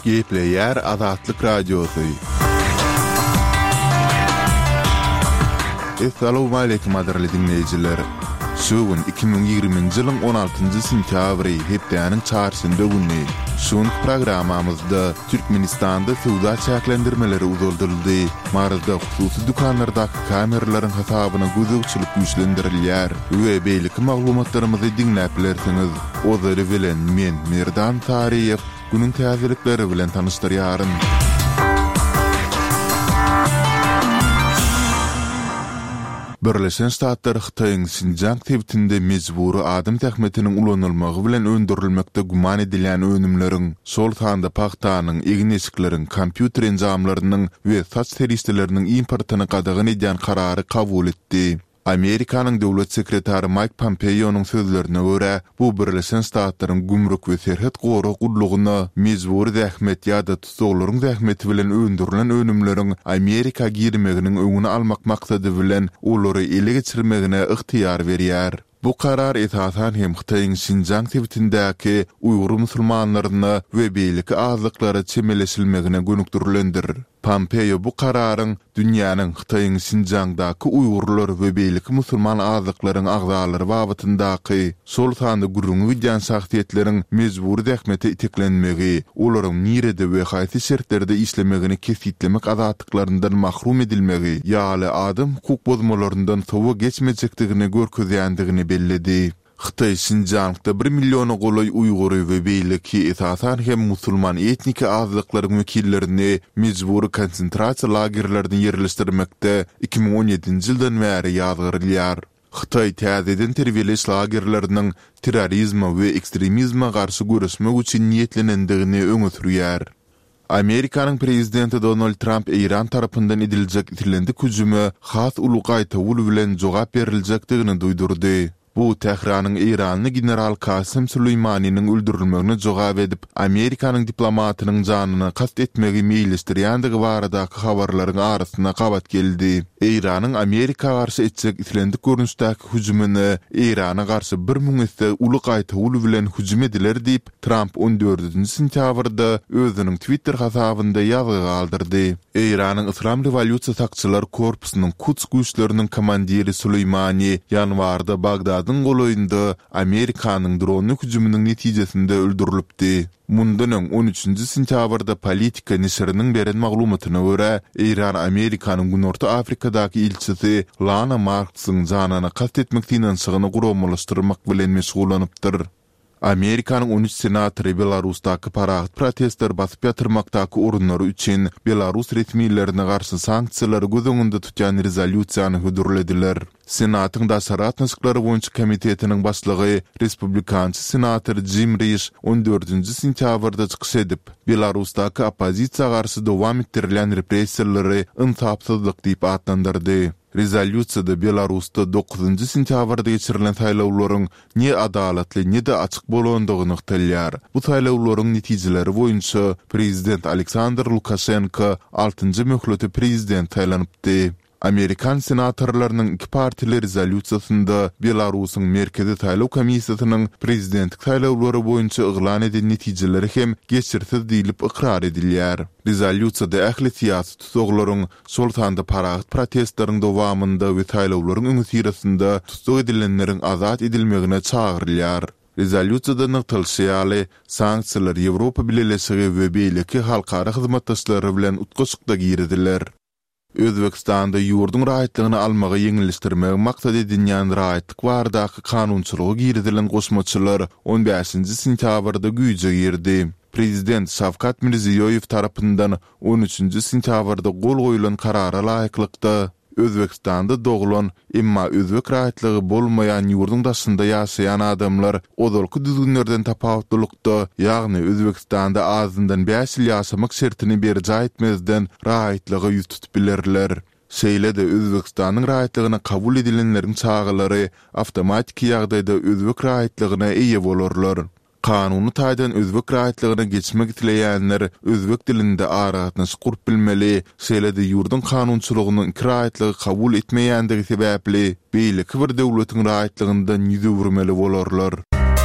Gepleýär Azatlyk Radiosy. Essalawmaleýkim gadyrly diňleýjiler! Şu gün 2020-nji ýylyň 16-njy sentýabry, hepdäniň çarşenbe güni. Şu günki programmamyzda Türkmenistanda söwda çäklendirmeleri uzaldyldy, Maryda hususy dükanlardaky kameralaryň hasabyna gözegçilik güýçlendirilýär we beýleki maglumatlarymyzy diňläp bilersiňiz. Ozaly bilen men, Merdan Saryýew, günüň täzelikleri bilen tanyşdyrýaryn. Birleşen Ştatlar Hytaýyň Şinjiang sebitinde mejbury adam zähmetiniň ulanylmagy bilen öndürilmekde güman edilýän önümleriň, şol sanda pagtanyň, egin-eşikleriň, kompýuter enjamlarynyň we saç serişdeleriniň importyny gadagan edýän karary kabul etdi. Amerikanyň Döwlet sekretary Maýk Pompeonyň sözlerine görä, bu Birleşen Ştatlaryň Gümrük we serhet gorag gullugyna mejbury zähmet ýa-da tussaglaryň zähmeti bilen öndürilen önümleriň Amerika girmeginiň öňüni almak maksady bilen olary ele geçirmegine ygtyýar berýär. Bu karar esasan hem Hytaýyň Şinjiang sebitindäki uýgur musulmanlaryna we beýleki azlyklara çemeleşilmegine gönükdirilendir. Pompeo bu kararyň dünýäniň Hytaýyň Şinjiangdaky uýgurlar we beýleki musulman azlyklaryň agzalary babatyndaky, şol sanda gürrüňi gidýän şahsyýetleriň mejbury zähmete iteklenmegi, olaryň nirede we haýsy şertlerde işlemegini kesgitlemek azatlyklaryndan mahrum edilmegi ýaly adam hukuk bozmalaryndan sowa geçmejekdigini görkezýändigini belledi. Hytaý Şinjiangda bir milliona golaý uýgury we beýleki, esasan hem musulman etniki azlyklaryň wekillerini mejbury konsentrasiýa lagerlerine ýerleşdirmekde 2017-nji ýyldan bäri ýazgarylýar. Hytaý täzeden terbiýeleýiş lagerleriniň terrorizme we ekstremizme garşy göreşmek üçin niýetlenendigini öňe sürýär. Amerikanyň prezidenti Donald Tramp Eýran tarapyndan ediljek islendik hüjüme has uly gaýtawul bilen jogap beriljekdigini duýdurdy. Bu Tähranyň eýranly general Kasem Süleýmaniniň öldürilmegine jogap edip, Amerikanyň diplomatynyň janyna kast etmegi meýilleşdirýändigi baradaky habarlaryň arasyna gabat geldi. Eýranyň Amerika garşy etjek islendik görnüşdäki hüjümine Eýrana garşy 1000 esse uly gaýtawul bilen hüjüm ediler diýip, Tramp on dördünji sentýabrda özüniň Twitter hasabynda ýazgy galdyrdy. Eýranyň Yslam rewolýusiýa sakçylar korpusynyň Kuds güýçleriniň komandiri Suleýmani ýanwarda Bagdadyň golaýynda Amerikanyň dronly hüjüminiň netijesinde öldürilipdi. Mundan öň, on üçünji sentýabrda Politico neşiriniň beren maglumatyna görä, Eýran Amerikanyň Günorta Afrikadaky ilçisi Lana Marksyň janyna kast etmek synanyşygyny guramalaşdyrmak bilen meşgullanypdyr. Amerikanyň on üç senatory Belarusdaky parahat protestleri basyp ýatyrmakdaky orunlary üçin belarus resmilerine garşy sanksiýalary göz öňünde tutýan rezolýusiýany hödürlediler. Senatyň daşary gatnaşyklary boýunça komitetiniň başlygy respublikançy senator Jim Riş on dördünji sentýabrda çykyş edip, Belarusdaky oppozisiýa garşy dowam etdirilýän repressiýalary ynsapsyzlyk diýip atlandyrdy. Rezolýusiýada Belarusda dokuzynjy sentýabrda geçirilen saýlawlaryň ne adalatly, ne-de açyk bolandygy nygtalýar. Bu saýlawlaryň netijeleri boýunça prezident Aleksandr Lukaşenko altynjy möhlete prezident saýlanypdy. Amerikan senatorlarynyň iki partiýaly rezolýusiýasynda Belarusyň Merkezi saýlaw komissiýasynyň prezidentlik saýlawlary boýunça yglan eden netijeleri hem geçirsiz diýlip ykrar edilýär. Rezolýusiýada ähli syýasy tussaglaryň, şol sanda parahat protestleriň dowamynda we saýlawlaryň öňüsyrasynda tussag edilenleriň azat edilmegine çagyrylýar. Rezolýusiýada nygtalyşy ýaly, sanksiýalar Ýewropa Bileleşigi we beýleki halkara hyzmatdaşlary bilen utgaşykda giriziler. Özbegistanda ýurduň raýatlygyny almagy ýeňilleşdirmegi maksat edinýän raýatlyk baradaky kanunçylyga girizilen goşmaçalar on bäşinji sentýabrda güýje girdi. Prezident Şawkat Mirziýoýew tarapyndan on üçünji sentýabrda gol goýlan karara laýyklykda, Özbegistanda doglan, emma özbek raýatlygy bolmaýan ýurduň daşynda ýaşaýan adamlar ozalky düzgünlerden tapawutlylykda, ýagny Özbegistanda azyndan bäş ýyl ýaşamak şertini berjaý etmezden raýatlyga ýüz tutup bilerler. Şeýle-de Özbegistanyň raýatlygyna kabul edilenleriň çagalary awtomatiki ýagdaýda özbek raýatlygyna eýe bolarlar. Kanuny taýdan özbek raýatlygyna geçmek isleýänler özbek dilinde aragatnaşyk gurup bilmeli, şeýle-de ýurduň kanunçylygynyň iki raýatlygy kabul etmeýändigi sebäpli, beýleki bir döwletiň raýatlygyndan ýüz öwürmeli bolarlar.